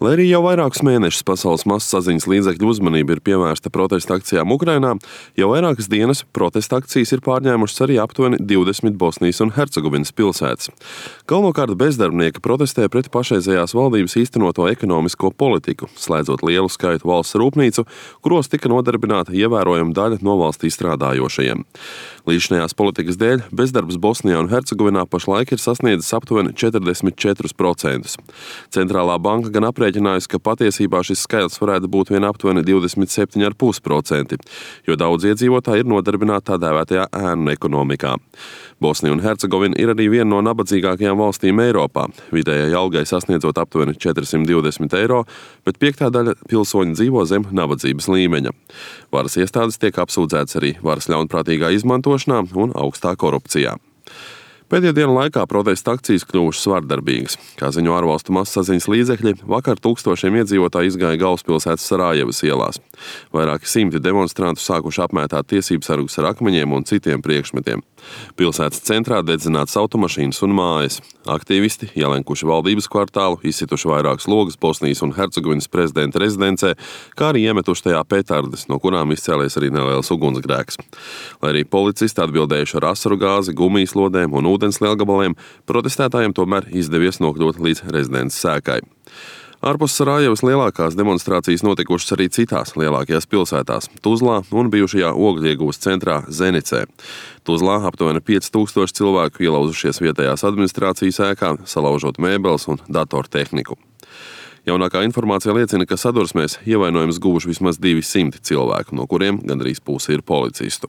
Lai arī jau vairākus mēnešus pasaules masasaziņas līdzekļu uzmanība ir pievērsta protesta akcijām Ukrainā, jau vairākas dienas protesta akcijas ir pārņēmušas arī aptuveni 20 Bosnijas un Hercegovinas pilsētas. Galvenokārt bezdarbnieki protestē pret pašreizējās valdības īstenoto ekonomisko politiku, slēdzot lielu skaitu valsts rūpnīcu, kuros tika nodarbināta ievērojama daļa no valstī strādājošajiem. Līdzinājās politikas dēļ bezdarbs Bosnijā un Hercegovinā pašlaik ir sasniedzis aptuveni 44%. Centrālā banka gan aprēķinājusi, ka patiesībā šis skaitlis varētu būt vien aptuveni 27,5%, jo daudz iedzīvotāji ir nodarbināti tā dēvētajā ēnu ekonomikā. Bosnija un Hercegovina ir arī viena no nabadzīgākajām valstīm Eiropā, vidējai algai sasniedzot aptuveni 420 eiro, bet piektā daļa pilsoņu dzīvo zem nabadzības līmeņa. Varas iestādes tiek apsūdzētas arī varas ļaunprātīgā izmantošanā un augstā korupcijā. Pēdējo dienu laikā protesta akcijas kļuvušas vardarbīgas. Kā ziņo ārvalstu masasaziņas līdzekļi, vakar tūkstošiem iedzīvotāji izgāja galvaspilsētas Sarajevas ielās. Vairāki simti demonstrantu sākuši apmētāt tiesībsargus ar akmeņiem un citiem priekšmetiem. Pilsētas centrā dedzinātas automašīnas un mājas. Aktīvisti ielenkuši valdības kvartālu, izsituši vairākas logas Bosnijas un Hercegovinas prezidenta rezidencē, kā arī iemetuši tajā petardes, no kurām izcēlies arī neliels ugunsgrēks. Lai arī policisti atbildējuši ar asaru gāzi, gumijas lodēm un ūdens lielgabaliem, protestētājiem tomēr izdevies nokļūt līdz rezidences sēkai. Ārpus Sarajevas lielākās demonstrācijas notikušas arī citās lielākajās pilsētās – Tuzlā un bijušajā ogļieguvas centrā Zenicē. Tuzlā aptuveni 5000 cilvēku ielauzušies vietējās administrācijas ēkā, salaužot mēbeles un datortehniku. Jaunākā informācija liecina, ka sadursmēs ievainojumus guvuši vismaz 200 cilvēku, no kuriem gandrīz puse ir policistu.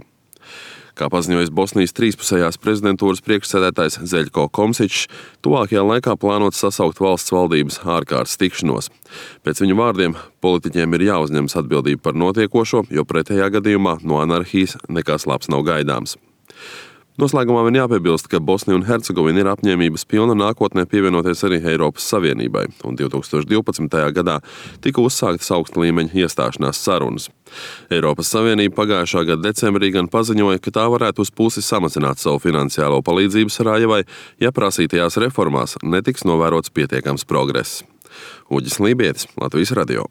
Kā paziņojis Bosnijas trīspusējās prezidentūras priekšsēdētājs Zeļko Komsičs, tuvākajā laikā plānots sasaukt valsts valdības ārkārtas tikšanos. Pēc viņa vārdiem, politiķiem ir jāuzņemas atbildība par notiekošo, jo pretējā gadījumā no anarhijas nekas labs nav gaidāms. Noslēgumā vien jāpiebilst, ka Bosnija un Hercegovina ir apņēmības pilna nākotnē pievienoties arī Eiropas Savienībai, un 2012. gadā tika uzsāktas augsta līmeņa iestāšanās sarunas. Eiropas Savienība pagājušā gada decembrī gan paziņoja, ka tā varētu uz pusi samazināt savu finansiālo palīdzību Sarajevai, ja prasītajās reformās netiks novērots pietiekams progress. Uģis Lībietis, Latvijas radio.